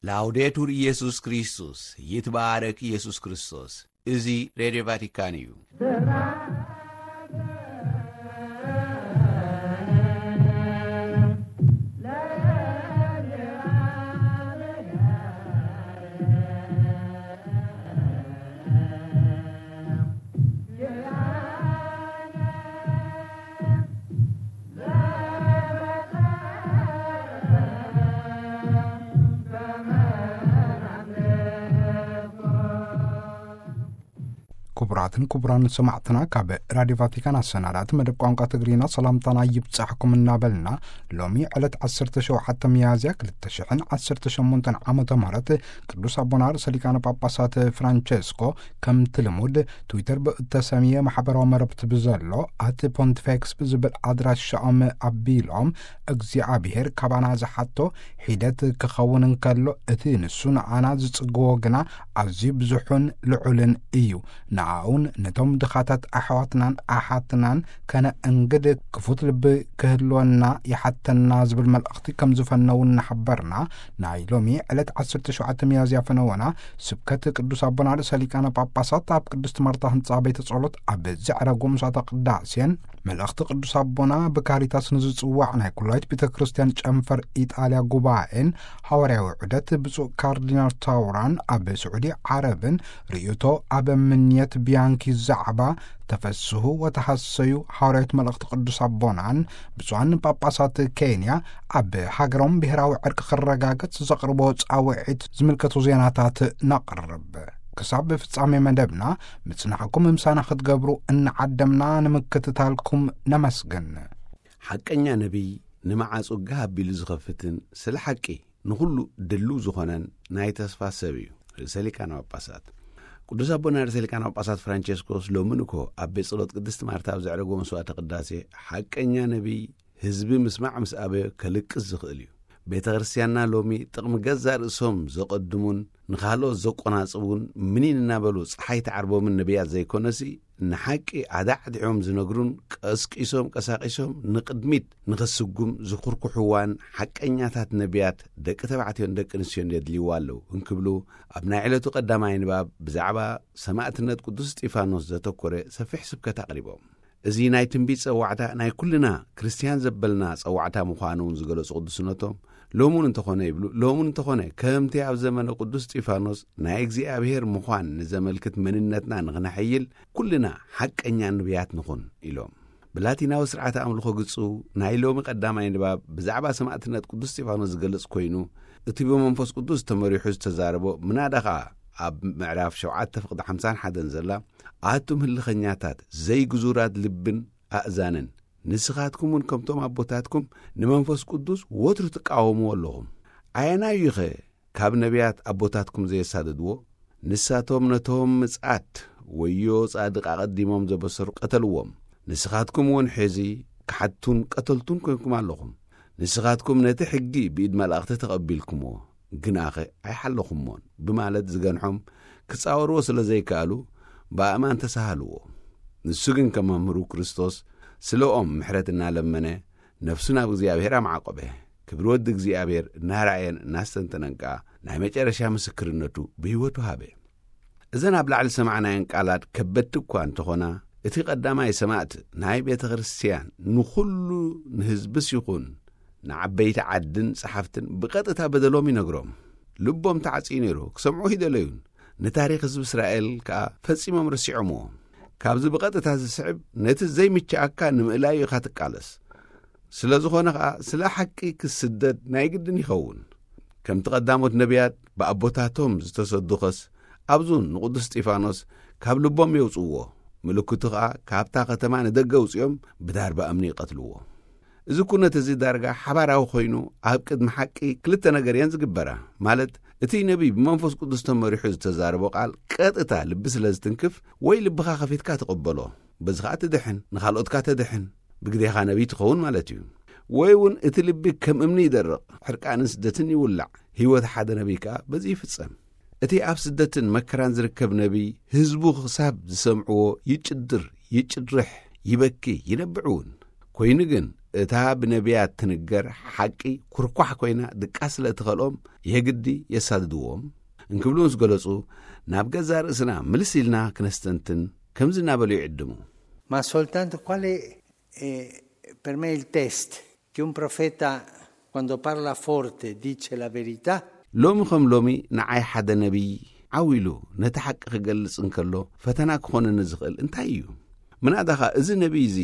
ላውዴቱር ኢየሱስ ክርስቶስ፣ ይትባረክ ኢየሱስ ክርስቶስ። እዚ ሬድዮ ቫቲካን እዩ። ክቡራትን ክቡራን ሰማዕትና፣ ካብ ራዲዮ ቫቲካን ኣሰናዳእቲ መደብ ቋንቋ ትግርኛ ሰላምታና ይብጻሕኩም እናበልና፣ ሎሚ ዕለት ዓሰርተ ሸውዓተ ሚያዝያ ክልተ ሽሕን ዓሰርተ ሸሞንተን ዓመተ ምህረት ቅዱስ ኣቦና ርእሰ ሊቃነ ጳጳሳት ፍራንቸስኮ ከምቲ ልሙድ ትዊተር ብእተሰምየ ማሕበራዊ መረብቲ ብዘሎ ኣት ፖንቲፌክስ ብዝብል ኣድራሻኦም ኣቢሎም፣ እግዚኣብሔር ካባና ዝሓቶ ሒደት ክኸውን እንከሎ፣ እቲ ንሱ ንዓና ዝጽግዎ ግና ኣዝዩ ብዙሑን ልዑልን እዩ። ንኣኡን ነቶም ድኻታት ኣሕዋትናን ኣሓትናን ከነእንግድ ክፉት ልቢ ክህልወና ይሓተና ዝብል መልእኽቲ ከም ዝፈነው እናሓበርና፣ ናይ ሎሚ ዕለት ዓሰርተ ሸውዓተ ሚያዝያ ፈነወና ስብከት ቅዱስ ኣቦና ርእሰ ሊቃነ ጳጳሳት ኣብ ቅድስት ማርታ ህንጻ ቤተ ጸሎት ኣብ ዘዕረጎ ምሳተ ቅዳሴን፣ መልእኽቲ ቅዱስ ኣቦና ብካሪታስ ንዝጽዋዕ ናይ ኩላይት ቤተ ክርስቲያን ጨንፈር ኢጣልያ ጉባኤን፣ ሃዋርያዊ ዑደት ብፁዕ ካርዲናል ታውራን ኣብ ስዑዲ ዓረብን፣ ርእይቶ ኣብ ምንየት ቢያንኪ ዛዕባ ተፈስሑ ወተሃሰዩ ሃዋርያዊት መልእኽቲ ቅዱስ ኣቦናን፣ ብፁዓን ጳጳሳት ኬንያ ኣብ ሃገሮም ብሔራዊ ዕርቂ ክረጋገጽ ዘቕርቦ ጻውዒት ዝምልከቱ ዜናታት ነቕርብ። ክሳብ ፍጻሜ መደብና ምጽናሕኩም ምሳና ክትገብሩ እናዓደምና ንምክትታልኩም ነመስግን። ሓቀኛ ነቢይ ንመዓጹ ጋህ ኣቢሉ ዝኸፍትን ስለ ሓቂ ንኹሉ ድልው ዝኾነን ናይ ተስፋ ሰብ እዩ። ርእሰ ሊቃነ ጳጳሳት ቅዱስ ኣቦና ርእሰ ሊቃነ ጳጳሳት ፍራንቸስኮስ ሎሚ ንኮ ኣብ ቤት ጸሎት ቅድስቲ ማርታ ኣብ ዘዕረጎ መስዋዕተ ቅዳሴ፣ ሓቀኛ ነቢይ ህዝቢ ምስማዕ ምስ ኣበዮ ከልቅስ ዝኽእል እዩ። ቤተ ክርስቲያንና ሎሚ ጥቕሚ ገዛእ ርእሶም ዘቐድሙን ንኻልኦት ዘቆናጽቡን ምኒን እናበሉ ጸሓይ ትዓርቦምን ነቢያት ዘይኮነሲ፣ ንሓቂ ኣዳዕዲዖም ዝነግሩን ቀስቂሶም ቀሳቂሶም ንቕድሚት ንኽስጉም ዝኹርኩሕዋን ሓቀኛታት ነቢያት ደቂ ተባዕትዮን ደቂ ኣንስትዮን የድልይዋ ኣለዉ እንክብሉ፣ ኣብ ናይ ዕለቱ ቀዳማይ ንባብ ብዛዕባ ሰማእትነት ቅዱስ እስጢፋኖስ ዘተኮረ ሰፊሕ ስብከት ኣቕሪቦም። እዚ ናይ ትንቢት ጸዋዕታ ናይ ኩልና ክርስትያን ዘበልና ጸዋዕታ ምዃኑ እውን ዝገለጹ ቅዱስነቶም፣ ሎሙን እንተኾነ ይብሉ፣ ሎሙን እንተኾነ ከምቲ ኣብ ዘመነ ቅዱስ እስጢፋኖስ ናይ እግዚኣብሔር ምዃን ንዘመልክት መንነትና ንኽነሐይል ኩልና ሓቀኛ ነቢያት ንኹን ኢሎም። ብላቲናዊ ስርዓተ ኣምልኾ ግጹ ናይ ሎሚ ቀዳማይ ንባብ ብዛዕባ ሰማእትነት ቅዱስ እስጢፋኖስ ዝገልጽ ኮይኑ፣ እቲ ብመንፈስ ቅዱስ ተመሪሑ ዝተዛረቦ ምናዳ ኸኣ ኣብ ምዕራፍ ሸውዓተ ፍቕዲ ሓምሳን ሓደን ዘላ፣ ኣቱም ህልኸኛታት ዘይግዙራት ልብን ኣእዛንን፣ ንስኻትኩም እውን ከምቶም ኣቦታትኩም ንመንፈስ ቅዱስ ወትሩ ትቃወምዎ ኣለኹም። ኣየናዩኸ ካብ ነቢያት ኣቦታትኩም ዘየሳደድዎ? ንሳቶም ነቶም ምጽኣት ወዮ ጻድቕ ኣቐዲሞም ዘበሰሩ ቀተልዎም። ንስኻትኩም እውን ሕዚ ክሓድቱን ቀተልቱን ኮይንኩም ኣለኹም። ንስኻትኩም ነቲ ሕጊ ብኢድ መላእኽቲ ተቐቢልኩምዎ፣ ግናኸ ኣይሓለኹሞን ብማለት ዝገንሖም ክጻወርዎ ስለ ዘይከኣሉ ብኣእማን ተሳሃልዎ። ንሱ ግን ከም መምህሩ ክርስቶስ ስለኦም ምሕረት እናለመነ ነፍሱ ናብ እግዚኣብሔር ኣማዕቆበ። ክብሪ ወዲ እግዚኣብሔር እናረኣየን እናስተንተነን ከኣ ናይ መጨረሻ ምስክርነቱ ብህይወቱ ሃበ። እዘን ኣብ ላዕሊ ዝሰማዕናየን ቃላት ከበድቲ እኳ እንተኾና፣ እቲ ቀዳማይ ሰማዕት ናይ ቤተ ክርስቲያን ንኹሉ ንህዝብስ ይኹን ንዓበይቲ ዓድን ጸሓፍትን ብቐጥታ በደሎም ይነግሮም። ልቦም ተዓጽዩ ነይሩ፣ ክሰምዑ ኣይደለዩን። ንታሪኽ ህዝቢ እስራኤል ከኣ ፈጺሞም ረሲዖምዎ። ካብዚ ብቐጥታ ዝስዕብ፣ ነቲ ዘይምችኣካ ንምእላዩ ኢኻ ትቃለስ። ስለ ዝኾነ ኸኣ ስለ ሓቂ ክስደድ ናይ ግድን ይኸውን። ከምቲ ቀዳሞት ነቢያት ብኣቦታቶም ዝተሰዱኸስ፣ ኣብዙን ንቅዱስ እስጢፋኖስ ካብ ልቦም የውጽእዎ። ምልክቱ ኸኣ ካብታ ከተማ ንደገ ኣውጺኦም ብዳርባ እምኒ ይቐትልዎ። እዚ ኩነት እዚ ዳርጋ ሓባራዊ ኮይኑ ኣብ ቅድሚ ሓቂ ክልተ ነገር እየን ዝግበራ። ማለት እቲ ነቢይ ብመንፈስ ቅዱስ ተመሪሑ ዝተዛረቦ ቃል ቀጥታ ልቢ ስለ ዝትንክፍ ወይ ልብኻ ከፊትካ ትቕበሎ። በዚ ኸኣ ትድሕን፣ ንኻልኦትካ ተድሕን፣ ብግዴኻ ነቢይ ትኸውን ማለት እዩ። ወይ እውን እቲ ልቢ ከም እምኒ ይደርቕ፣ ሕርቃንን ስደትን ይውላዕ። ህይወት ሓደ ነቢይ ከኣ በዚ ይፍጸም። እቲ ኣብ ስደትን መከራን ዝርከብ ነቢይ ህዝቡ ክሳብ ዝሰምዕዎ ይጭድር፣ ይጭድርሕ፣ ይበኪ፣ ይነብዕ እውን። ኮይኑ ግን እታ ብነቢያት ትንገር ሓቂ ኩርኳሕ ኮይና ድቃስ ስለ እትኸልኦም የግዲ የሳድድዎም እንክብሉ ምስ ገለጹ፣ ናብ ገዛ ርእስና ምልስ ኢልና ክነስተንትን ከምዚ እናበሉ ይዕድሙ። Ma soltanto quale è per me il test che un profeta, quando parla forte, dice la verità? ሎሚ ከም ሎሚ ንዓይ ሓደ ነቢይ ዓው ኢሉ ነቲ ሓቂ ክገልጽ እንከሎ ፈተና ክኾነኒ ዝኽእል እንታይ እዩ? ምናዳኻ እዚ ነቢይ እዚ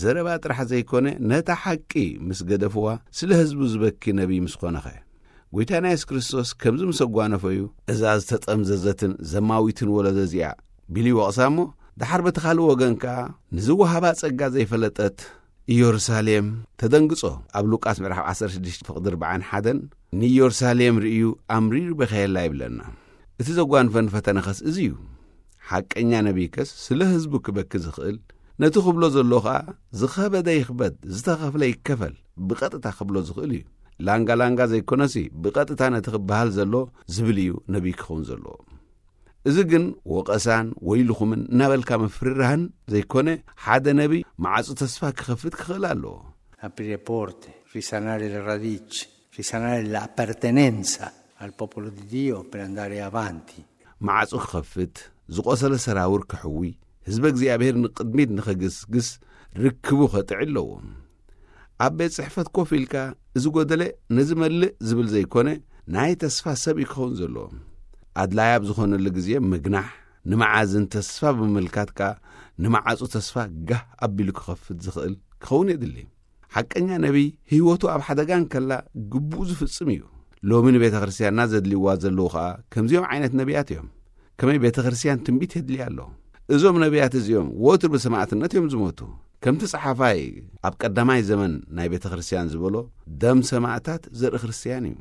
ዘረባ ጥራሕ ዘይኮነ ነታ ሓቂ ምስ ገደፍዋ ስለ ህዝቡ ዝበኪ ነቢይ ምስ ኾነኸ? ጎይታና የሱስ ክርስቶስ ከምዚ ምስ ኣጓነፈዩ፣ እዛ ዝተጠምዘዘትን ዘማዊትን ወለዶ እዚኣ ቢሉ ይወቕሳ እሞ፣ ደሓር በቲ ካልእ ወገን ከኣ ንዝወሃባ ጸጋ ዘይፈለጠት ኢየሩሳሌም ተደንግጾ። ኣብ ሉቃስ ምዕራፍ ዓሰርተ ሽዱሽተ ፍቕዲ ኣርባዓን ሓደን ንኢየሩሳሌም ርእዩ ኣምሪሩ በኸየላ ይብለና። እቲ ዘጓንፈን ፈተነኸስ እዚ እዩ። ሓቀኛ ነቢይከስ ስለ ህዝቡ ክበኪ ዝኽእል፣ ነቲ ክብሎ ዘሎ ኸኣ ዝኸበደ ይኽበድ፣ ዝተኸፍለ ይከፈል፣ ብቐጥታ ክብሎ ዝኽእል እዩ። ላንጋ ላንጋ ዘይኮነሲ ብቐጥታ ነቲ ክበሃል ዘሎ ዝብል እዩ ነቢይ ክኸውን ዘለዎ። እዚ ግን ወቐሳን ወይልኹምን እናበልካ ምፍርራህን ዘይኮነ፣ ሓደ ነቢይ ማዕጾ ተስፋ ክኸፍት ክኽእል ኣለዎ። Aprire porte, risanare le radici, risanare l'appartenenza al popolo di Dio per andare avanti. ማዕጾ ክኸፍት፣ ዝቖሰለ ሰራውር ክሕዊ፣ ህዝበ እግዚኣብሔር ንቕድሚት ንኸግስግስ ርክቡ ኸጥዒ ኣለዎ። ኣብ ቤት ጽሕፈት ኮፍ ኢልካ እዚ ጎደለ ነዚ መልእ ዝብል ዘይኮነ፣ ናይ ተስፋ ሰብ እዩ ክኸውን ዘለዎ። ኣድላይ ኣብ ዝኾነሉ ግዜ ምግናሕ፣ ንመዓዝን ተስፋ ብምምልካት ከኣ ንመዓጹ ተስፋ ጋህ ኣቢሉ ክኸፍት ዝኽእል ክኸውን የድሊ። ሓቀኛ ነቢይ ህይወቱ ኣብ ሓደጋ እንከላ ግቡኡ ዝፍጽም እዩ። ሎሚ ንቤተ ክርስቲያንና ዘድልይዋ ዘለዉ ኸኣ ከምዚኦም ዓይነት ነቢያት እዮም። ከመይ ቤተ ክርስቲያን ትንቢት የድልያ ኣሎ? እዞም ነቢያት እዚኦም ወትሩ ብሰማዕትነት እዮም ዝሞቱ። ከምቲ ጸሓፋይ ኣብ ቀዳማይ ዘመን ናይ ቤተ ክርስቲያን ዝበሎ፣ ደም ሰማዕታት ዘርኢ ክርስቲያን እዩ።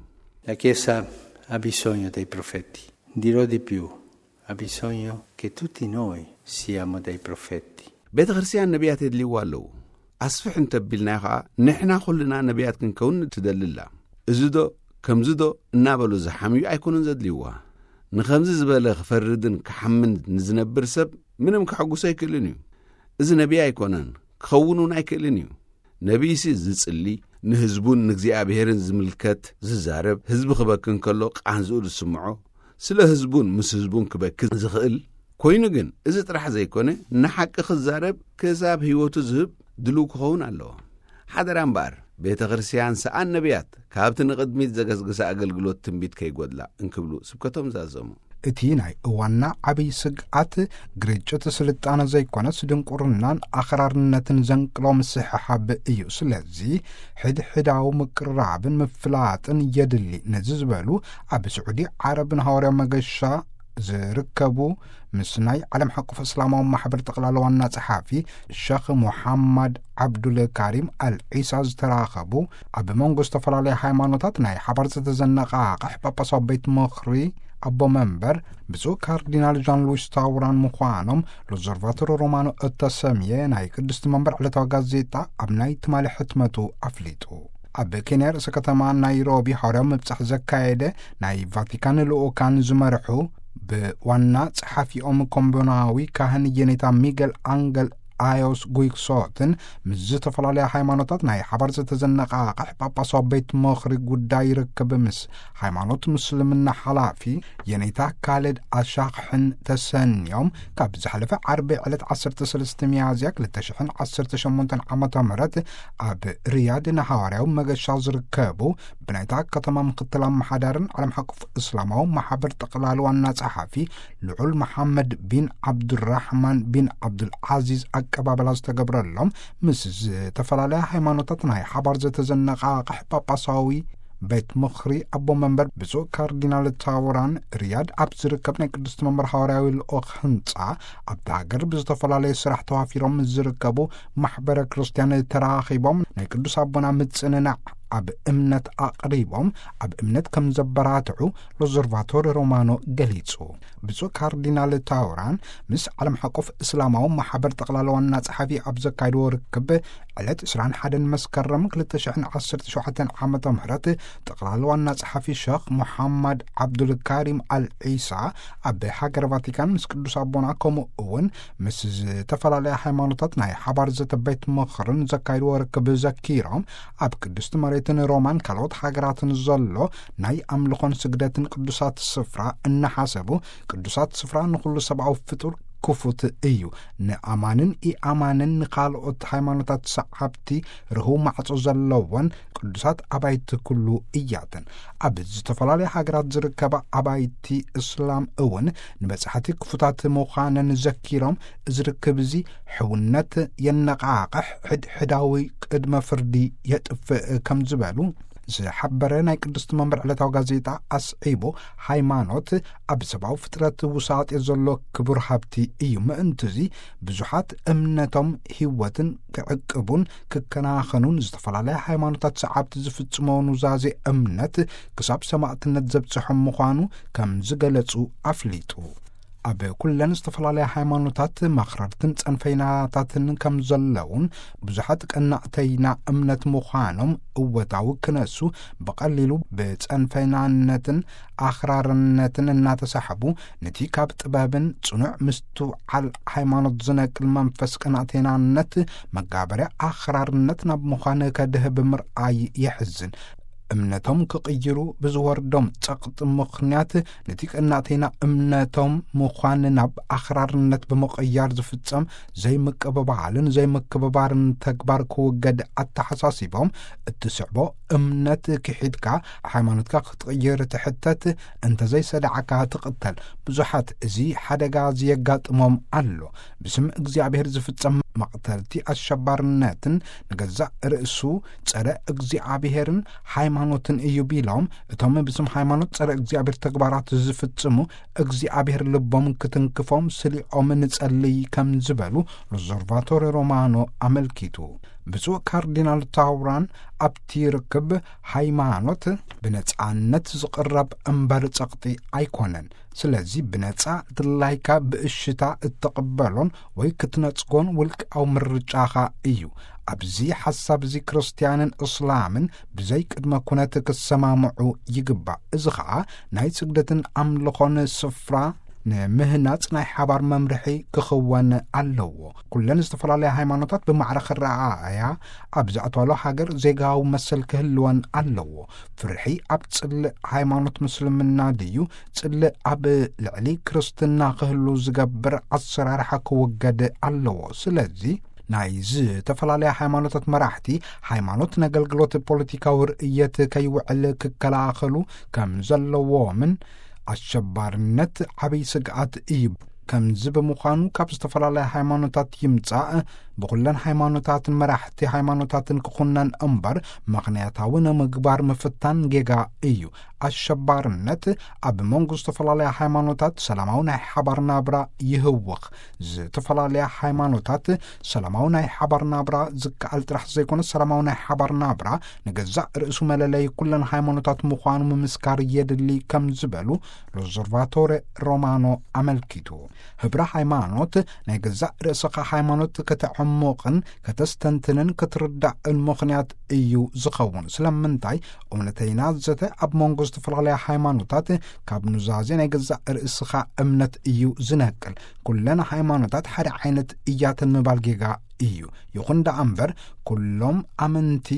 La Chiesa ha bisogno dei profeti. Dirò di più, ha bisogno che tutti noi siamo dei profeti. ቤተ ክርስቲያን ነቢያት የድልይዋ ኣለዉ። ኣስፍሕ እንተቢልናዮ ኸኣ ንሕና ኩልና ነቢያት ክንከውን ትደሊ ኣላ። እዚ ዶ ከምዚ ዶ እናበሉ ዝሓምዩ ኣይኮኑን ዘድልይዋ። ንኸምዚ ዝበለ ክፈርድን ክሓምን ንዝነብር ሰብ ምንም ከሐጉሶ ኣይክእልን እዩ። እዚ ነቢይ ኣይኮነን፣ ክኸውን እውን ኣይክእልን እዩ። ነቢይሲ ዝጽሊ፣ ንህዝቡን ንእግዚኣብሔርን ዝምልከት ዝዛረብ፣ ህዝቢ ክበኪ እንከሎ ቃንዝኡ ዝስምዖ፣ ስለ ህዝቡን ምስ ህዝቡን ክበኪ ዝኽእል ኮይኑ ግን እዚ ጥራሕ ዘይኮነ ንሓቂ ክዛረብ ክሳብ ህይወቱ ዝህብ ድልው ክኸውን ኣለዎ። ሓደራ እምበኣር ቤተ ክርስቲያን ሰኣን ነቢያት ካብቲ ንቕድሚት ዘገስግሰ ኣገልግሎት ትንቢት ከይጎድላ እንክብሉ ስብከቶም ዛዘሙ። እቲ ናይ እዋንና ዓብዪ ስግኣት ግርጭት ስልጣነ ዘይኮነስ ድንቁርናን ኣኽራርነትን ዘንቅሎ ምስሕሓብ እዩ። ስለዚ ሕድሕዳዊ ምቅርራብን ምፍላጥን የድሊ። ነዚ ዝበሉ ኣብ ስዑዲ ዓረብን ሃዋርያዊ መገሻ ዝርከቡ ምስ ናይ ዓለም ሓቆፍ እስላማዊ ማሕበር ጠቕላላ ዋና ጸሓፊ ሸኽ ሙሓማድ ዓብዱል ካሪም ኣልዒሳ ዝተራኸቡ፣ ኣብ መንጎ ዝተፈላለያ ሃይማኖታት ናይ ሓባር ዝተዘነቓቕሕ ጳጳሳዊ ቤት ምኽሪ ኣቦ መንበር ብፁዕ ካርዲናል ዣን ሉዊስ ታውራን ምዃኖም ሎዘርቫቶሮ ሮማኖ እተሰምየ ናይ ቅድስቲ መንበር ዕለታዊ ጋዜጣ ኣብ ናይ ትማሊ ሕትመቱ ኣፍሊጡ። ኣብ ኬንያ ርእሰ ከተማ ናይሮቢ ሃዋርያዊ ምብጻሕ ዘካየደ ናይ ቫቲካን ልኡካን ዝመርሑ ብዋና ጸሓፊኦም ኮምቦናዊ ካህን የኔታ ሚገል ኣንገል ኣዮስ ጉይክሶትን ምስ ዝተፈላለያ ሃይማኖታት ናይ ሓባር ዝተዘነቓቕሕ ጳጳሳዊ ቤት ምኽሪ ጉዳይ ርክብ ምስ ሃይማኖት ምስልምና ሓላፊ የኔታ ካለድ ኣሻኽሕን ተሰንዮም ካብ ዝሓለፈ ዓርቢ ዕለት ዓሰርተ ሰለስተ ሚያዝያ ክልተ ሽሕን ዓሰርተ ሸሞንተን ዓመተ ምህረት ኣብ ሪያድ ንሃዋርያዊ መገሻ ዝርከቡ ብናይታ ከተማ ምክትል ኣመሓዳርን ዓለም ሓቆፍ እስላማዊ ማሕበር ጠቕላሊ ዋና ጸሓፊ ልዑል መሓመድ ቢን ዓብዱራሕማን ቢን ዓብዱል ዓዚዝ ኣቀባበላ ዝተገብረሎም ምስ ዝተፈላለያ ሃይማኖታት ናይ ሓባር ዘተዘነቓቕሕ ጳጳሳዊ ቤት ምኽሪ ኣቦ መንበር ብፁዕ ካርዲናል ታውራን ሪያድ ኣብ ዝርከብ ናይ ቅድስቲ መንበር ሃዋርያዊ ልኡኽ ህንጻ ኣብቲ ሃገር ብዝተፈላለየ ስራሕ ተዋፊሮም ምስ ዝርከቡ ማሕበረ ክርስቲያን ተራኺቦም ናይ ቅዱስ ኣቦና ምጽንናዕ ኣብ እምነት ኣቕሪቦም ኣብ እምነት ከም ዘበራትዑ ሎዘርቫቶሪ ሮማኖ ገሊጹ። ብፁዕ ካርዲናል ታውራን ምስ ዓለም ሓቆፍ እስላማዊ ማሕበር ጠቕላላ ዋና ጸሓፊ ኣብ ዘካየድዎ ርክብ ዕለት ዕስራን ሓደን መስከረም ክልተ ሽሕን ዓሰርተ ሸውዓተን ዓመተ ምህረት ጠቕላላ ዋና ጸሓፊ ሸኽ ሙሓማድ ዓብዱልካሪም ኣል ዒሳ ኣብ ሃገር ቫቲካን ምስ ቅዱስ ኣቦና ከምኡ እውን ምስ ዝተፈላለያ ሃይማኖታት ናይ ሓባር ዘተ ቤት ምኽርን ዘካየድዎ ርክብ ዘኪሮም፣ ኣብ ቅድስቲ መሬትን ሮማን ካልኦት ሃገራትን ዘሎ ናይ ኣምልኾን ስግደትን ቅዱሳት ስፍራ እናሓሰቡ፣ ቅዱሳት ስፍራ ንኹሉ ሰብኣዊ ፍጡር ክፉት እዩ። ንኣማንን ኢኣማንን ንኻልኦት ሃይማኖታት ሰዓብቲ ርህው ማዕጾ ዘለወን ቅዱሳት ኣባይቲ ኩሉ እያተን። ኣብ ዝተፈላለያ ሃገራት ዝርከባ ኣባይቲ እስላም እውን ንበጻሕቲ ክፉታት ምዃነን ዘኪሮም፣ እዚ ርክብ እዚ ሕውነት የነቓቕሕ፣ ሕድሕዳዊ ቅድመ ፍርዲ የጥፍእ ከም ዝበሉ ዝሓበረ ናይ ቅድስቲ መንበር ዕለታዊ ጋዜጣ ኣስዒቡ፣ ሃይማኖት ኣብ ሰብኣዊ ፍጥረት ውሳጤ ዘሎ ክቡር ሃብቲ እዩ። ምእንትዚ ብዙሓት እምነቶም ህይወትን ክዕቅቡን ክከናኸኑን ዝተፈላለያ ሃይማኖታት ሰዓብቲ ዝፍጽሞ ኑዛዜ እምነት ክሳብ ሰማእትነት ዘብጽሖም ምዃኑ ከም ዝገለጹ ኣፍሊጡ። ኣብ ኩለን ዝተፈላለያ ሃይማኖታት መኽረርትን ጸንፈይናታትን ከም ዘለውን ብዙሓት ቀናእተይና እምነት ምዃኖም እወታዊ ክነሱ ብቐሊሉ ብጸንፈይናነትን ኣኽራርነትን እናተሳሕቡ ነቲ ካብ ጥበብን ጽኑዕ ምስትውዓል ሃይማኖት ዝነቅል መንፈስ ቀናእተይናነት መጋበርያ ኣኽራርነት ናብ ምዃን ከድህብ ምርኣይ የሕዝን። እምነቶም ክቕይሩ ብዝወርዶም ጸቕጢ ምኽንያት ነቲ ቀናእተይና እምነቶም ምዃን ናብ ኣኽራርነት ብምቕያር ዝፍጸም ዘይምቅብባልን ዘይምክብባርን ተግባር ክውገድ ኣተሓሳሲቦም፣ እትስዕቦ እምነት ክሒድካ ሃይማኖትካ ክትቕይር ትሕተት፣ እንተዘይሰዳዕካ ትቕተል። ብዙሓት እዚ ሓደጋ እዚ የጋጥሞም ኣሎ። ብስም እግዚኣብሔር ዝፍጸም መቕተልቲ ኣሸባርነትን ንገዛእ ርእሱ ጸረ እግዚኣብሔርን ሃይማኖትን እዩ ቢሎም፣ እቶም ብስም ሃይማኖት ጸረ እግዚኣብሔር ተግባራት ዝፍጽሙ እግዚኣብሔር ልቦም ክትንክፎም ስሊኦም ንጸልይ ከም ዝበሉ ሎዘርቫቶሪ ሮማኖ ኣመልኪቱ። ብፁዕ ካርዲናል ታውራን ኣብቲ ርክብ ሃይማኖት ብነጻነት ዝቕረብ እምበር ጸቕጢ ኣይኮነን። ስለዚ ብነጻ ድላይካ ብእሽታ እትቕበሎን ወይ ክትነጽጎን ውልቃዊ ምርጫኻ እዩ። ኣብዚ ሓሳብ እዚ ክርስትያንን እስላምን ብዘይ ቅድመ ኩነት ክሰማምዑ ይግባእ። እዚ ኸኣ ናይ ስግደትን ኣምልኾን ስፍራ ንምህናጽ ናይ ሓባር መምርሒ ክኽወን ኣለዎ። ኩለን ዝተፈላለያ ሃይማኖታት ብማዕረ ክረኣያ ኣብ ዝኣትዋሉ ሃገር ዜጋዊ መሰል ክህልወን ኣለዎ። ፍርሒ ኣብ ጽልእ ሃይማኖት ምስልምና ድዩ ጽልእ ኣብ ልዕሊ ክርስትና ክህሉ ዝገብር ኣሰራርሓ ክውገድ ኣለዎ። ስለዚ ናይ ዝተፈላለያ ሃይማኖታት መራሕቲ ሃይማኖት ነገልግሎት ፖለቲካዊ ርእየት ከይውዕል ክከላኸሉ ከም ዘለዎምን ኣሸባርነት ዓብይ ስግኣት እዩ። ከምዚ ብምዃኑ ካብ ዝተፈላለያ ሃይማኖታት ይምጻእ ብኹለን ሃይማኖታትን መራሕቲ ሃይማኖታትን ክኹነን እምበር ምኽንያታዊ ንምግባር ምፍታን ጌጋ እዩ። ኣሸባርነት ኣብ መንጎ ዝተፈላለያ ሃይማኖታት ሰላማዊ ናይ ሓባር ናብራ ይህውኽ። ዝተፈላለያ ሃይማኖታት ሰላማዊ ናይ ሓባር ናብራ ዝከኣል ጥራሕ ዘይኮነ ሰላማዊ ናይ ሓባር ናብራ ንገዛእ ርእሱ መለለይ ኩለን ሃይማኖታት ምዃኑ ምምስካር የድሊ ከም ዝበሉ ሎዘርቫቶሬ ሮማኖ ኣመልኪቱ። ህብረ ሃይማኖት ናይ ገዛእ ርእስኻ ሃይማኖት ከተዕሙቕን ከተስተንትንን ክትርዳእን ምኽንያት እዩ ዝኸውን። ስለምንታይ እውነተይና ዘተ ኣብ መንጎ ዝተፈላለያ ሃይማኖታት ካብ ኑዛዜ ናይ ገዛእ ርእስኻ እምነት እዩ ዝነቅል። ኩለን ሃይማኖታት ሓደ ዓይነት እያተን ምባል ጌጋ እዩ። ይኹን ደኣ እምበር ኩሎም ኣመንቲ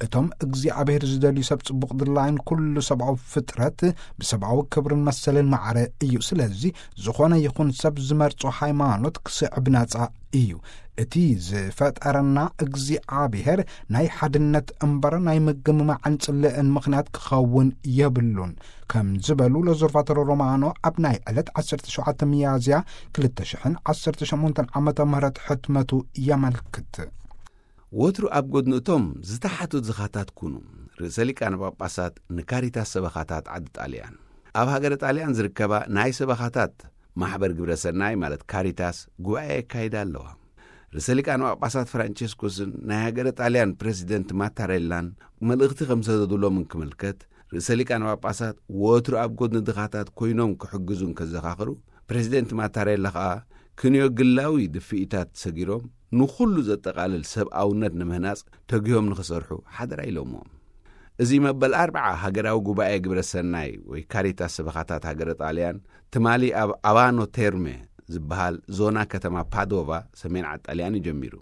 እቶም እግዚኣብሔር ዝደልዩ ሰብ ጽቡቕ ድላይን ኩሉ ሰብኣዊ ፍጥረት ብሰብኣዊ ክብርን መሰልን ማዕረ እዩ። ስለዚ ዝኾነ ይኹን ሰብ ዝመርጾ ሃይማኖት ክስዕብ ናጻ እዩ። እቲ ዝፈጠረና እግዚኣብሔር ናይ ሓድነት እምበር ናይ ምግምማዕን ጽልእን ምኽንያት ክኸውን የብሉን ከም ዝበሉ ሎዘርቫቶሮ ሮማኖ ኣብ ናይ ዕለት ዓሰርተ ሸውዓተ ሚያዝያ ክልተ ሽሕን ዓሰርተ ሸሞንተን ዓመተ ምህረት ሕትመቱ የመልክት። ወትሩ ኣብ ጎድኒ እቶም ዝተሓቱ ድኻታት ኩኑ። ርእሰ ሊቃነ ጳጳሳት ንካሪታስ ሰበኻታት ዓዲ ጣልያን። ኣብ ሃገረ ጣልያን ዝርከባ ናይ ሰበኻታት ማሕበር ግብረ ሰናይ ማለት ካሪታስ ጉባኤ የካይዳ ኣለዋ። ርእሰ ሊቃነ ጳጳሳት ፍራንቸስኮስን ናይ ሃገረ ጣልያን ፕረዚደንት ማታሬላን መልእኽቲ ከም ዝሰደዱሎም እንክምልከት፣ ርእሰ ሊቃነ ጳጳሳት ወትሩ ኣብ ጎድኒ ድኻታት ኮይኖም ክሕግዙ እንከዘኻኽሩ፣ ፕረዚደንት ማታሬላ ኸኣ ክንዮ ግላዊ ድፍኢታት ሰጊሮም ንኹሉ ዘጠቓልል ሰብኣውነት ንምህናጽ ተጊሆም ንኽሰርሑ ሓደራ ኢሎምዎም። እዚ መበል ኣርብዓ ሃገራዊ ጉባኤ ግብረ ሰናይ ወይ ካሪታስ ሰበኻታት ሃገረ ጣልያን ትማሊ ኣብ ኣባኖ ቴርሜ ዝበሃል ዞና ከተማ ፓዶቫ ሰሜን ዓጣልያን እዩ ጀሚሩ።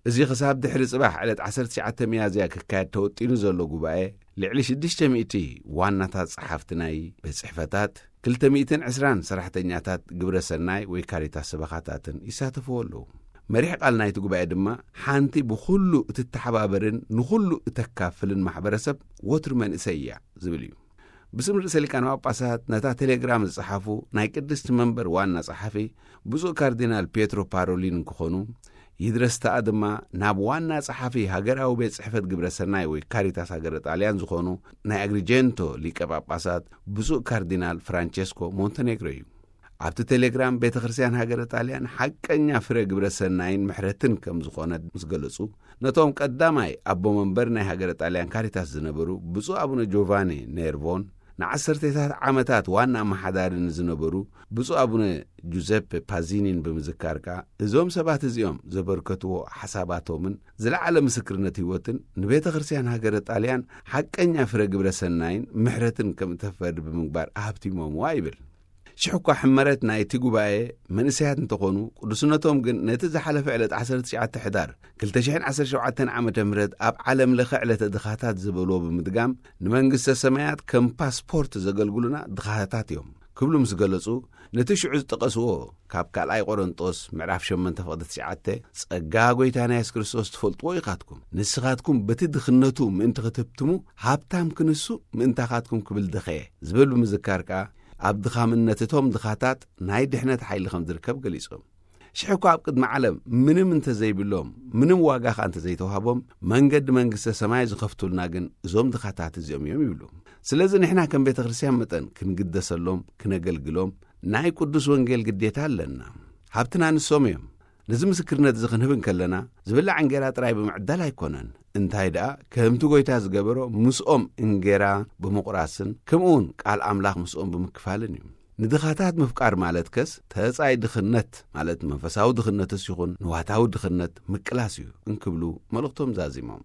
እዚ ክሳብ ድሕሪ ጽባሕ ዕለት ዓሰርተ ትሽዓተ ሚያዝያ ክካየድ ተወጢኑ ዘሎ ጉባኤ፣ ልዕሊ ሽዱሽተ ሚእቲ ዋናታት ጸሓፍቲ ናይ ቤት ጽሕፈታት፣ ክልተ ሚእትን ዕስራን ሰራሕተኛታት ግብረ ሰናይ ወይ ካሪታስ ሰበኻታትን ይሳተፍዎ ኣለዉ። መሪሕ ቃል ናይቲ ጉባኤ ድማ፣ ሓንቲ ብኹሉ እትተሓባበርን ንኹሉ እተካፍልን ማሕበረሰብ ወትሩ መንእሰይ እያ ዝብል እዩ። ብስም ርእሰ ሊቃነ ጳጳሳት ነታ ቴሌግራም ዝጸሓፉ ናይ ቅድስቲ መንበር ዋና ጸሓፊ ብፁዕ ካርዲናል ፒየትሮ ፓሮሊን እንክኾኑ፣ ይድረስ ተኣ ድማ ናብ ዋና ጸሓፊ ሃገራዊ ቤት ጽሕፈት ግብረ ሰናይ ወይ ካሪታስ ሃገረ ጣልያን ዝኾኑ ናይ ኣግሪጀንቶ ሊቀ ጳጳሳት ብፁዕ ካርዲናል ፍራንቸስኮ ሞንተኔግሮ እዩ። ኣብቲ ቴሌግራም ቤተ ክርስቲያን ሃገረ ጣልያን ሓቀኛ ፍረ ግብረ ሰናይን ምሕረትን ከም ዝኾነ ምስ ገለጹ፣ ነቶም ቀዳማይ ኣቦ መንበር ናይ ሃገረ ጣልያን ካሪታስ ዝነበሩ ብፁዕ ኣቡነ ጆቫኒ ኔርቮን ንዓሰርተታት ዓመታት ዋና ኣመሓዳሪ ንዝነበሩ ብፁዕ ኣቡነ ጁዘፔ ፓዚኒን ብምዝካር ከኣ፣ እዞም ሰባት እዚኦም ዘበርከትዎ ሓሳባቶምን ዝለዓለ ምስክርነት ህይወትን ንቤተ ክርስቲያን ሃገረ ጣልያን ሓቀኛ ፍረ ግብረ ሰናይን ምሕረትን ከም እተፈሪ ብምግባር ኣህብቲሞምዋ ይብል። ሽሕ እኳ ሕመረት ናይቲ ጉባኤ መንእሰያት እንተኾኑ፣ ቅዱስነቶም ግን ነቲ ዝሓለፈ ዕለት ዓሰርተ ትሽዓተ ሕዳር ክልተ ሽሕን ዓሰርተ ሸውዓተን ዓመተ ምህረት ኣብ ዓለም ለኸ ዕለተ ድኻታት ዝበልዎ ብምድጋም፣ ንመንግስተ ሰማያት ከም ፓስፖርት ዘገልግሉና ድኻታት እዮም ክብሉ ምስ ገለጹ፣ ነቲ ሽዑ ዝጠቐስዎ ካብ ካልኣይ ቆሮንጦስ ምዕራፍ ሸሞንተ ፍቕዲ ትሽዓተ፣ "ጸጋ ጐይታና የሱስ ክርስቶስ ትፈልጥዎ ኢኻትኩም፣ ንስኻትኩም በቲ ድኽነቱ ምእንቲ ክትህብትሙ፣ ሃብታም ክንሱ ምእንታኻትኩም ክብል ደኸየ" ዝብል ብምዝካር ከኣ፣ ኣብ ድኻምነት እቶም ድኻታት ናይ ድሕነት ሓይሊ ከም ዝርከብ ገሊጾም። ሽሕ እኳ ኣብ ቅድሚ ዓለም ምንም እንተዘይብሎም፣ ምንም ዋጋ ኸኣ እንተዘይተዋህቦም፣ መንገዲ መንግስተ ሰማይ ዝኸፍቱልና ግን እዞም ድኻታት እዚኦም እዮም ይብሉ። ስለዚ ንሕና ከም ቤተ ክርስቲያን መጠን ክንግደሰሎም፣ ክነገልግሎም ናይ ቅዱስ ወንጌል ግዴታ ኣለና። ሃብትና ንሶም እዮም። ነዚ ምስክርነት እዚ ክንህብ እንከለና፣ ዝብላዕ እንጌራ ጥራይ ብምዕዳል ኣይኮነን። እንታይ ደኣ፣ ከምቲ ጐይታ ዝገበሮ፣ ምስኦም እንጌራ ብምቑራስን፣ ከምኡውን ቃል ኣምላኽ ምስኦም ብምክፋልን እዩ። ንድኻታት ምፍቃር ማለት ከስ፣ ተጻይ ድኽነት፣ ማለት መንፈሳዊ ድኽነትስ ይኹን ንዋታዊ ድኽነት ምቅላስ እዩ እንክብሉ መልእኽቶም ዛዚሞም።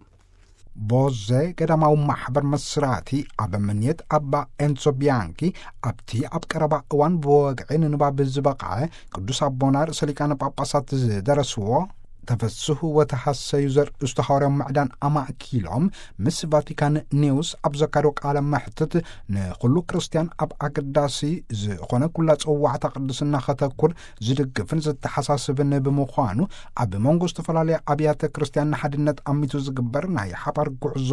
ቦዜ ገዳማዊ ማሕበር መስራቲ ኣብ ምንየት ኣባ ኤንዞ ቢያንኪ፣ ኣብቲ ኣብ ቀረባ እዋን ብወግዒ ንንባብ ዝበቕዐ ቅዱስ ኣቦና ርእሰ ሊቃነ ጳጳሳት ዝደረስዎ "ተፈስሑ ወተሐሰዩ" ዘርእስቱ ሃዋርያዊ ምዕዳን ኣማእኪሎም፣ ምስ ቫቲካን ኒውስ ኣብ ዘካየዶ ቃለ መሕትት፣ ንኹሉ ክርስትያን ኣብ ኣገዳሲ ዝኾነ ኩላ ጽዋዕታ ቅድስና ከተኩር ዝድግፍን ዘተሓሳስብን ብምዃኑ፣ ኣብ መንጎ ዝተፈላለያ ኣብያተ ክርስትያን ንሓድነት ኣሚቱ ዝግበር ናይ ሓባር ጉዕዞ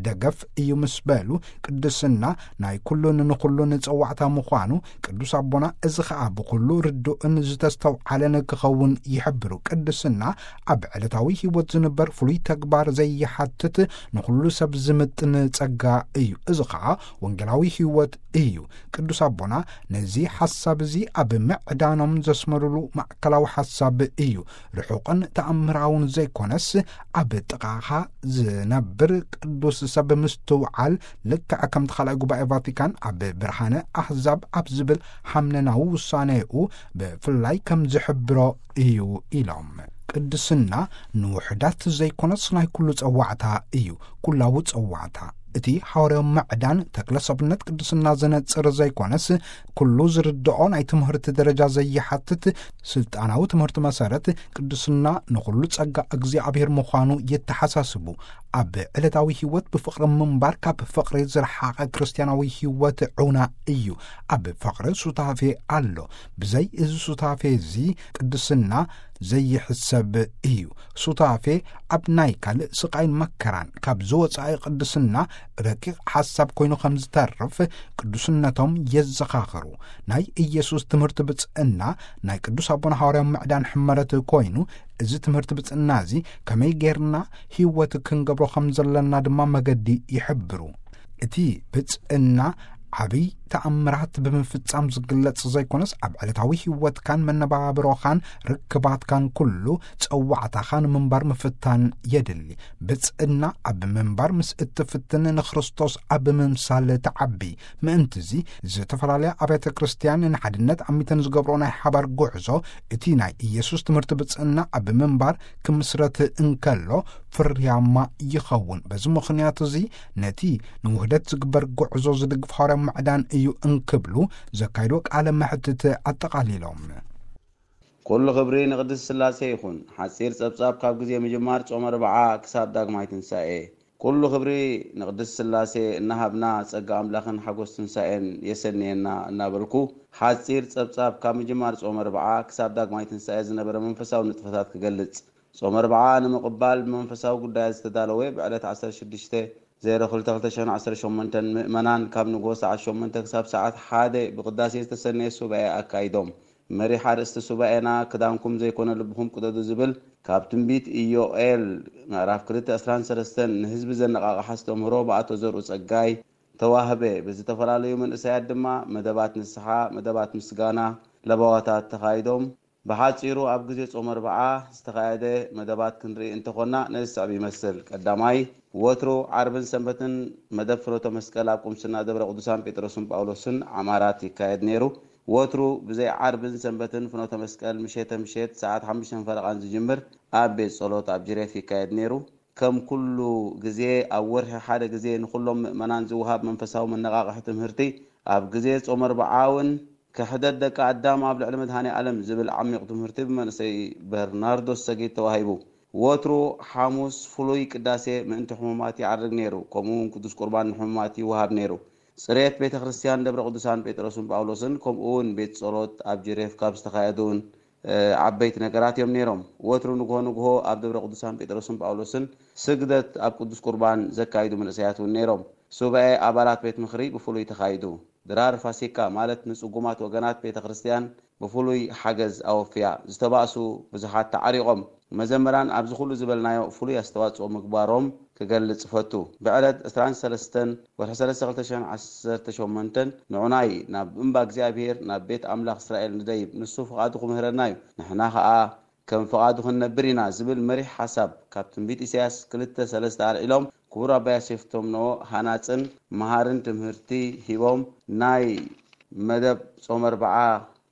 ደገፍ እዩ ምስ በሉ፣ ቅድስና ናይ ኩሉን ንኹሉን ጸዋዕታ ምዃኑ ቅዱስ ኣቦና፣ እዚ ኸኣ ብኹሉ ርዱእን ዝተስተውዓለን ክኸውን ይሕብሩ። ቅድስና ኣብ ዕለታዊ ህይወት ዝንበር ፍሉይ ተግባር ዘይሓትት፣ ንኹሉ ሰብ ዝምጥን ጸጋ እዩ። እዚ ኸኣ ወንጌላዊ ህይወት እዩ። ቅዱስ ኣቦና ነዚ ሓሳብ እዚ ኣብ ምዕዳኖም ዘስመሩሉ ማእከላዊ ሓሳብ እዩ። ርሑቕን ተኣምራውን ዘይኮነስ፣ ኣብ ጥቓኻ ዝነብር ቅዱስ ሰብ ምስትውዓል፣ ልክዕ ከምቲ ካልኣይ ጉባኤ ቫቲካን ኣብ ብርሃነ ኣህዛብ ኣብ ዝብል ሓምነናዊ ውሳኔኡ ብፍላይ ከም ዝሕብሮ እዩ ኢሎም። ቅድስና ንውሑዳት ዘይኮነስ ናይ ኩሉ ጸዋዕታ እዩ፣ ኩላዊ ጸዋዕታ። እቲ ሃዋርያዊ ምዕዳን ተክለ ሰብነት ቅድስና ዘነጽር ዘይኮነስ፣ ኩሉ ዝርድኦ ናይ ትምህርቲ ደረጃ ዘይሓትት፣ ስልጣናዊ ትምህርቲ መሰረት ቅድስና ንኹሉ ጸጋ እግዚኣብሔር ምዃኑ የተሓሳስቡ። ኣብ ዕለታዊ ህይወት ብፍቕሪ ምንባር ካብ ፍቕሪ ዝረሓቐ ክርስትያናዊ ህይወት ዑና እዩ። ኣብ ፍቕሪ ሱታፌ ኣሎ። ብዘይ እዚ ሱታፌ እዚ ቅድስና ዘይሕሰብ እዩ። ሱታፌ ኣብ ናይ ካልእ ስቓይን መከራን ካብ ዝወጻኢ ቅድስና ረቂቕ ሓሳብ ኮይኑ ከም ዝተርፍ ቅዱስነቶም የዘኻኽሩ። ናይ ኢየሱስ ትምህርቲ ብጽእና ናይ ቅዱስ ኣቦና ሃዋርያዊ ምዕዳን ሕመረት ኮይኑ፣ እዚ ትምህርቲ ብጽእና እዚ ከመይ ጌርና ህይወት ክንገብሮ ከም ዘለና ድማ መገዲ ይሕብሩ። እቲ ብጽእና ዓብይ ተኣምራት ብምፍጻም ዝግለጽ ዘይኮነስ፣ ኣብ ዕለታዊ ህይወትካን መነባብሮኻን ርክባትካን ኩሉ ጸዋዕታኻ ንምንባር ምፍታን የድሊ። ብጽእና ኣብ ምንባር ምስ እትፍትን፣ ንክርስቶስ ኣብ ምምሳል ትዓቢ። ምእንትዚ፣ ዝተፈላለያ ኣብያተ ክርስቲያን ንሓድነት ኣሚተን ዝገብሮ ናይ ሓባር ጉዕዞ፣ እቲ ናይ ኢየሱስ ትምህርቲ ብጽእና ኣብ ምንባር ክምስረት እንከሎ ፍርያማ ይኸውን። በዚ ምኽንያት እዚ፣ ነቲ ንውህደት ዝግበር ጉዕዞ ዝድግፍ ሃዋርያ ምዕዳን እዩ እንክብሉ ዘካይዶ ቃለ መሕትት ኣጠቓሊሎም። ኩሉ ክብሪ ንቅድስት ስላሴ ይኹን። ሓጺር ጸብጻብ ካብ ግዜ ምጅማር ጾመ ኣርብዓ ክሳብ ዳግማይ ትንሳኤ። ኩሉ ክብሪ ንቅድስት ስላሴ እናሃብና፣ ጸጋ ኣምላኽን ሓጎስ ትንሳኤን የሰንየና እናበልኩ፣ ሓጺር ጸብጻብ ካብ ምጅማር ጾመ ኣርብዓ ክሳብ ዳግማይ ትንሳኤ ዝነበረ መንፈሳዊ ንጥፈታት ክገልጽ። ጾመ ኣርብዓ ንምቕባል ብመንፈሳዊ ጉዳያት ዝተዳለወ፣ ብዕለት ዓሰርተ ሽዱሽተ ዜሮ ክልተ ክልተ ሽሕን ዓሰርተ ሸሞንተን ምእመናን ካብ ንግሆ ሰዓት ሸሞንተ ክሳብ ሰዓት ሓደ ብቅዳሴ ዝተሰነየ ሱባኤ ኣካይዶም። መሪሕ ኣርእስቲ ሱባኤና፣ "ክዳንኩም ዘይኮነ ልብኹም ቅደዱ" ዝብል፣ ካብ ትንቢት ኢዮኤል ምዕራፍ ክልተ ዕስራን ሰለስተን ንህዝቢ ዘነቓቕሐ ኣስተምህሮ ብኣቶ ዘርኡ ጸጋይ ተዋህበ። ብዝተፈላለዩ መንእሰያት ድማ መደባት ንስሓ፣ መደባት ምስጋና፣ ለበዋታት ተኻይዶም። ብሓጺሩ ኣብ ግዜ ጾመ ኣርብዓ ዝተኻየደ መደባት ክንርኢ እንተኾንና ነዚ ዝስዕብ ይመስል። ቀዳማይ፣ ወትሩ ዓርብን ሰንበትን መደብ ፍኖተ መስቀል ኣብ ቁምስና ደብረ ቅዱሳን ጴጥሮስን ጳውሎስን ዓማራት ይካየድ ነይሩ። ወትሩ ብዘይ ዓርብን ሰንበትን ፍኖተ መስቀል ምሸተ ምሸት ሰዓት ሓሙሽተ ፈረቓን ዝጅምር ኣብ ቤት ጸሎት ኣብ ጅሬፍ ይካየድ ነይሩ። ከም ኩሉ ግዜ፣ ኣብ ወርሒ ሓደ ግዜ ንኹሎም ምእመናን ዝወሃብ መንፈሳዊ መነቓቕሒ ትምህርቲ፣ ኣብ ግዜ ጾመ ኣርብዓ እውን ክሕደት ደቂ ኣዳም ኣብ ልዕሊ መድኃኔ ዓለም ዝብል ዓሚቕ ትምህርቲ ብመንእሰይ በርናርዶስ ሰጊድ ተዋሂቡ። ወትሩ ሓሙስ ፍሉይ ቅዳሴ ምእንቲ ሕሙማት ይዓርግ ነይሩ። ከምኡ እውን ቅዱስ ቁርባን ንሕሙማት ይወሃብ ነይሩ። ጽሬት ቤተ ክርስቲያን ደብረ ቅዱሳን ጴጥሮስን ጳውሎስን፣ ከምኡ እውን ቤት ጸሎት ኣብ ጅሬፍ ካብ ዝተኻየዱ እውን፣ እ፣ ዓበይቲ ነገራት እዮም ነይሮም። ወትሩ ንግሆ ንግሆ ኣብ ደብረ ቅዱሳን ጴጥሮስን ጳውሎስን ስግደት ኣብ ቅዱስ ቁርባን ዘካይዱ መንእሰያት እውን ነይሮም። ሱባኤ ኣባላት ቤት ምኽሪ ብፍሉይ ተኻይዱ። ድራር ፋሲካ ማለት ንጽጉማት ወገናት ቤተ ክርስቲያን ብፍሉይ ሓገዝ ኣወፍያ። ዝተባእሱ ብዙሓት ተዓሪቖም። መዘምራን ኣብዚ ኩሉ ዝበልናዮ ፍሉይ ኣስተዋጽኦ ምግባሮም ክገልጽ እፈቱ። ብዕለት ዕስራን ሰለስተን ወርሒ ሰለስተ ክልተ ሽሕን ዓሰርተ ሸሞንተን ንዑናይ ናብ እምባ እግዚኣብሔር፣ ናብ ቤት ኣምላኽ እስራኤል ንደይብ፣ ንሱ ፍቓዱ ክምህረና እዩ፣ ንሕና ኸኣ ከም ፍቓዱ ክንነብር ኢና ዝብል መሪሕ ሓሳብ ካብ ትንቢት ኢሳያስ ክልተ ሰለስተ ኣልዒሎም፣ ክቡር ኣባ ዮሴፍ ተምኖ ሃናጽን መሃርን ትምህርቲ ሂቦም። ናይ መደብ ጾመ ኣርብዓ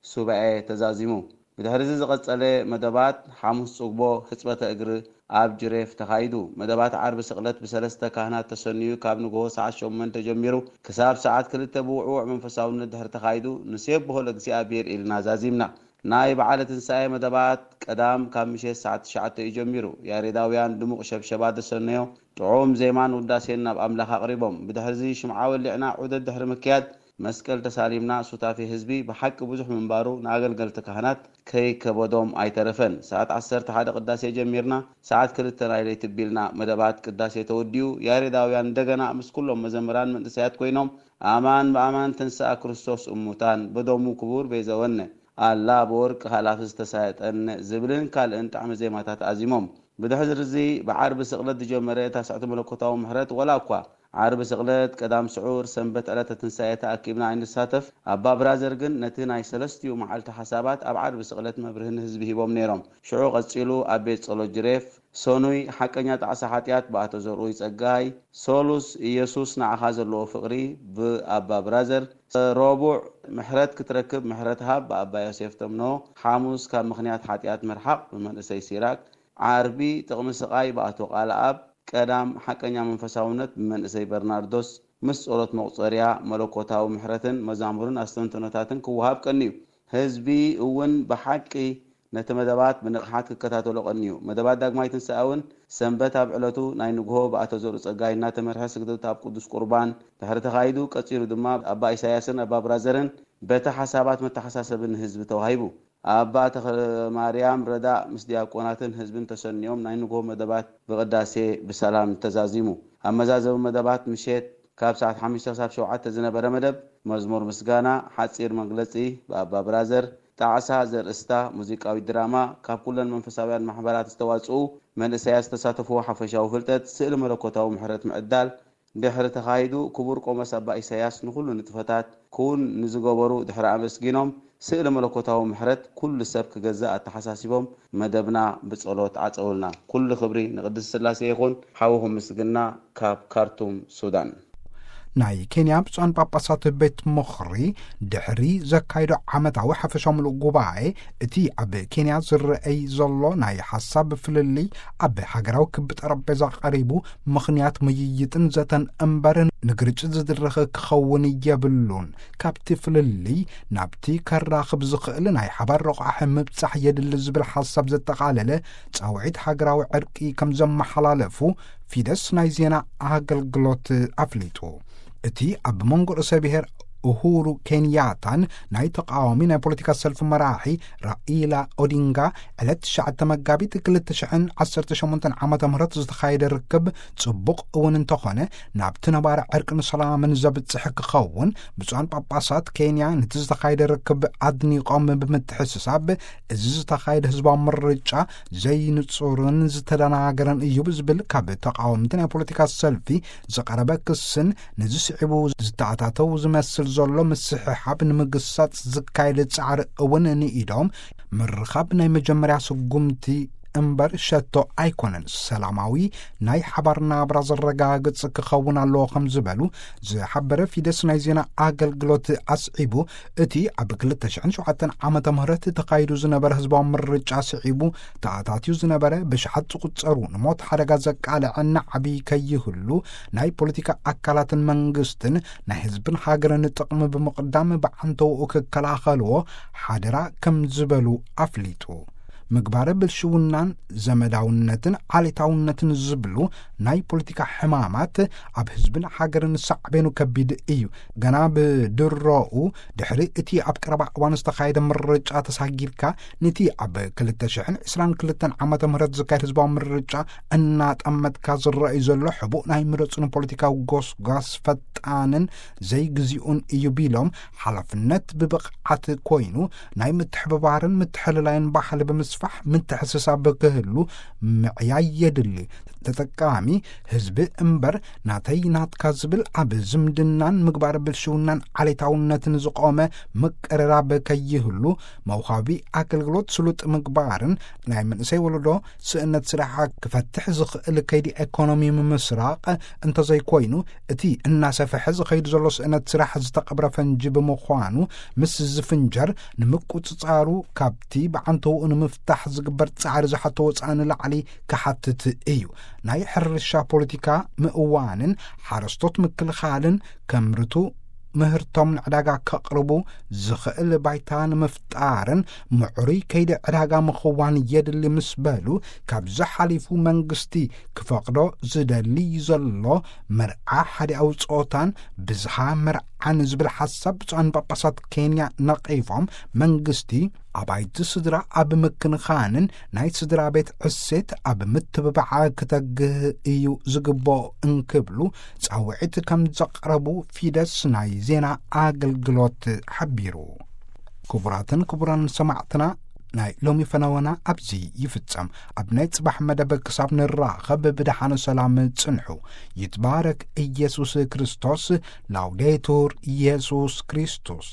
ሱባኤ ተዛዚሙ። ብድሕሪ እዚ ዝቐጸለ መደባት፣ ሓሙስ ጽግቦ ሕጽበተ እግሪ ኣብ ጅሬፍ ተኻይዱ። መደባት ዓርቢ ስቕለት ብሰለስተ ካህናት ተሰንዩ፣ ካብ ንግሆ ሰዓት ሸሞንተ ጀሚሩ ክሳብ ሰዓት ክልተ ብውዕዉዕ መንፈሳውነት ድሕሪ ተኻይዱ፣ ንሴብሖ ለእግዚኣብሔር ኢልና ዛዚምና። ናይ በዓለ ትንሳኤ መደባት ቀዳም ካብ ምሸት ሰዓት ትሽዓተ እዩ ጀሚሩ። ያሬዳውያን ድሙቕ ሸብሸባ ዘሰነዮ ጥዑም ዜማን ውዳሴን ናብ ኣምላኽ ኣቕሪቦም። ብድሕርዚ ሽምዓ ወሊዕና ዑደት ድሕሪ ምክያድ፣ መስቀል ተሳሊምና፣ ሱታፌ ህዝቢ ብሓቂ ብዙሕ ምንባሩ ንኣገልገልቲ ካህናት ከይከበዶም ኣይተረፈን። ሰዓት ዓሰርተ ሓደ ቅዳሴ ጀሚርና፣ ሰዓት ክልተ ናይ ለይቲ ቢልና መደባት ቅዳሴ ተወዲኡ፣ ያሬዳውያን እንደገና ምስ ኩሎም መዘምራን መንእሰያት ኮይኖም፣ "ኣማን ብኣማን ተንሥኣ ክርስቶስ እሙታን፣ በደሙ ክቡር ቤዘወነ፣ ኣላ በወርቅ ሃላፊ ዝተሳየጠነ" ዝብልን ካልእን ጣዕመ ዜማታት ኣዚሞም። ብድሕሪ እዚ ብዓርቢ ስቕለት ዝጀመረ ታስዕቲ መለኮታዊ ምሕረት፣ ወላ እኳ ዓርቢ ስቕለት፣ ቀዳም ስዑር፣ ሰንበት ዕለተ ትንሳኤ ተኣኪብና ኣይንሳተፍ፣ ኣባ ብራዘር ግን ነቲ ናይ ሰለስቲኡ መዓልቲ ሓሳባት ኣብ ዓርቢ ስቕለት መብርሂ ንህዝቢ ሂቦም ነይሮም። ሽዑ ቀጺሉ ኣብ ቤት ጸሎት ጅሬፍ፣ ሰኑይ ሓቀኛ ጣዕሳ ሓጢኣት ብኣቶ ዘርኡይ ጸጋይ፣ ሶሉስ ኢየሱስ ንዓኻ ዘለዎ ፍቕሪ ብኣባ ብራዘር፣ ረቡዕ ምሕረት ክትረክብ ምሕረት ሃብ ብኣባ ዮሴፍ ተምኖ፣ ሓሙስ ካብ ምኽንያት ሓጢኣት ምርሓቕ ብመንእሰይ ሲራክ፣ ዓርቢ ጥቕሚ ስቓይ ብኣቶ ቃልኣብ፣ ቀዳም ሓቀኛ መንፈሳውነት ብመንእሰይ በርናርዶስ፣ ምስ ጸሎት መቑጸርያ መለኮታዊ ምሕረትን መዛሙርን ኣስተንትኖታትን ክወሃብ ቀንዩ። ህዝቢ እውን ብሓቂ ነቲ መደባት ብንቕሓት ክከታተሎ ቀንዩ። መደባት ዳግማይ ትንሳኤ እውን ሰንበት ኣብ ዕለቱ ናይ ንግሆ ብኣቶ ዘርኡ ጸጋይ እናተመርሐ ስግደት ኣብ ቅዱስ ቁርባን ድሕሪ ተኻይዱ፣ ቀጺሉ ድማ ኣባ ኢሳያስን ኣባ ብራዘርን በቲ ሓሳባት መተሓሳሰቢ ንህዝቢ ተዋሂቡ። ኣባ ተኽለ ማርያም ረዳእ ምስ ዲያቆናትን ህዝብን ተሰንዮም ናይ ንግሆ መደባት ብቅዳሴ ብሰላም ተዛዚሙ። ኣብ መዛዘሚ መደባት ምሸት ካብ ሰዓት ሓሙሽተ ክሳብ ሸውዓተ ዝነበረ መደብ መዝሙር ምስጋና፣ ሓጺር መግለጺ ብኣባ ብራዘር፣ ጣዕሳ ዘርእስታ ሙዚቃዊት ድራማ፣ ካብ ኩለን መንፈሳውያን ማሕበራት ዝተዋጽኡ መንእሰያት ዝተሳተፍዎ ሓፈሻዊ ፍልጠት፣ ስእሊ መለኮታዊ ምሕረት ምዕዳል፣ ድሕሪ ተኻይዱ ክቡር ቆሞስ ኣባ ኢሳያስ ንኹሉ ንጥፈታት ክውን ንዝገበሩ ድሕሪ ኣመስጊኖም፣ ስእሊ መለኮታዊ ምሕረት ኩሉ ሰብ ክገዝእ ኣተሓሳሲቦም፣ መደብና ብጸሎት ዓጸውልና። ኩሉ ክብሪ ንቅድስት ስላሴ ይኹን። ሓውኹም ምስግና ካብ ካርቱም ሱዳን። ናይ ኬንያ ብፁዓን ጳጳሳት ቤት ምኽሪ ድሕሪ ዘካይዶ ዓመታዊ ሓፈሻዊ ምሉእ ጉባኤ፣ እቲ ኣብ ኬንያ ዝረኣይ ዘሎ ናይ ሓሳብ ፍልልይ ኣብ ሃገራዊ ክቢ ጠረጴዛ ቀሪቡ ምኽንያት ምይይጥን ዘተን እምበር ንግርጭት ዝድረኸ ክኸውን የብሉን። ካብቲ ፍልልይ ናብቲ ከራኽብ ዝኽእል ናይ ሓባር ረቋሒ ምብጻሕ የድሊ ዝብል ሓሳብ ዘጠቓለለ ጻውዒት ሃገራዊ ዕርቂ ከም ዘመሓላለፉ ፊደስ ናይ ዜና ኣገልግሎት ኣፍሊጡ። እቲ ኣብ መንጎ ርእሰ ብሔር ኡሁሩ ኬንያታን ናይ ተቃዋሚ ናይ ፖለቲካ ሰልፊ መራሒ ራኢላ ኦዲንጋ ዕለት ትሽዓተ መጋቢት ክልተ ሽሕን ዓሰርተ ሸሞንተን ዓመተ ምህረት ዝተኻየደ ርክብ ጽቡቕ እውን እንተኾነ፣ ናብቲ ነባሪ ዕርቅን ሰላምን ዘብጽሕ ክኸውን ብፁዓን ጳጳሳት ኬንያ ነቲ ዝተኻየደ ርክብ ኣድኒቖም ብምትሕስሳብ፣ እዚ ዝተኻየደ ህዝባዊ ምርጫ ዘይንጹርን ዝተደናገረን እዩ ብዝብል ካብ ተቃወምቲ ናይ ፖለቲካ ሰልፊ ዝቐረበ ክስን ነዚ ስዒቡ ዝተኣታተው ዝመስል ዘሎ ምስሕሓብ ንምግሳጽ ዝካየድ ጻዕሪ እውን ንኢዶም፣ ምርኻብ ናይ መጀመርያ ስጉምቲ እምበር ሸቶ ኣይኮነን፣ ሰላማዊ ናይ ሓባር ናብራ ዘረጋግጽ ክኸውን ኣለዎ ከም ዝበሉ ዝሓበረ ፊደስ ናይ ዜና ኣገልግሎት ኣስዒቡ፣ እቲ ኣብ ክልተ ሽሕን ሸውዓተን ዓመተ ምህረት ተኻይዱ ዝነበረ ህዝባዊ ምርጫ ስዒቡ ተኣታትዩ ዝነበረ ብሽሓት ዝቁጸሩ ንሞት ሓደጋ ዘቃልዐ ናዕቢ ከይህሉ ናይ ፖለቲካ ኣካላትን መንግስትን ናይ ህዝብን ሃገርን ጥቕሚ ብምቕዳም ብዓንተውኡ ክከላኸልዎ ሓደራ ከም ዝበሉ ኣፍሊጡ። ምግባረ ብልሽውናን ዘመዳውነትን ዓሌታውነትን ዝብሉ ናይ ፖለቲካ ሕማማት ኣብ ህዝብን ሃገርን ሳዕቤኑ ከቢድ እዩ። ገና ብድሮኡ ድሕሪ እቲ ኣብ ቀረባ እዋን ዝተኻየደ ምርጫ ተሳጊርካ፣ ነቲ ኣብ ክልተ ሽሕን ዕስራን ክልተን ዓመተ ምህረት ዝካየድ ህዝባዊ ምርጫ እናጠመትካ ዝረኣዩ ዘሎ ሕቡእ ናይ ምረጹን ፖለቲካዊ ጎስጓስ ፈጣንን ዘይግዚኡን እዩ ቢሎም፣ ሓላፍነት ብብቕዓት ኮይኑ ናይ ምትሕብባርን ምትሕልላይን ባህሊ ብምስፋሕ ምትሕስሳብ ክህሉ ምዕያይ የድሊ። ተጠቃሚ ህዝቢ እምበር ናተይ ናትካ ዝብል ኣብ ዝምድናን ምግባር ብልሽውናን ዓሌታውነትን ዝቆመ ምቅርራብ ከይህሉ፣ መውሃቢ ኣገልግሎት ስሉጥ ምግባርን ናይ መንእሰይ ወለዶ ስእነት ስራሓ ክፈትሕ ዝኽእል ከይዲ ኤኮኖሚ ምምስራቕ እንተዘይኮይኑ፣ እቲ እናሰፍሐ ዝኸይድ ዘሎ ስእነት ስራሕ ዝተቐብረ ፈንጂ ብምዃኑ፣ ምስ ዝፍንጀር ንምቁጽጻሩ ካብቲ ብዓንተውኡ ንምፍታሕ ዝግበር ጻዕሪ ዝሓቶ ወጻኢ ንላዕሊ ክሓትት እዩ። ናይ ሕርሻ ፖለቲካ ምእዋንን ሓረስቶት ምክልኻልን ከምርቱ ምህርቶም ንዕዳጋ ከቕርቡ ዝኽእል ባይታ ንምፍጣርን ምዕሩይ ከይዲ ዕዳጋ ምኽዋን የድሊ ምስ በሉ፣ ካብዚ ሓሊፉ መንግስቲ ክፈቕዶ ዝደሊ ዘሎ መርዓ ሓዲኣዊ ጾታን ብዝሃ መርዓን ዝብል ሓሳብ ብፁዓን ጳጳሳት ኬንያ ነቒፎም፣ መንግስቲ ኣባይቲ ስድራ ኣብ ምክንኻንን ናይ ስድራ ቤት ዕሴት ኣብ ምትብባዓ ክተግህ እዩ ዝግብኦ እንክብሉ ጻውዒት ከም ዘቕረቡ ፊደስ ናይ ዜና ኣገልግሎት ሓቢሩ። ክቡራትን ክቡራን ሰማዕትና፣ ናይ ሎሚ ፈነወና ኣብዚ ይፍጸም። ኣብ ናይ ጽባሕ መደብ ክሳብ ንራኸብ ብደሓነ ሰላም ጽንሑ። ይትባረክ ኢየሱስ ክርስቶስ። ላውዴቱር ኢየሱስ ክርስቶስ።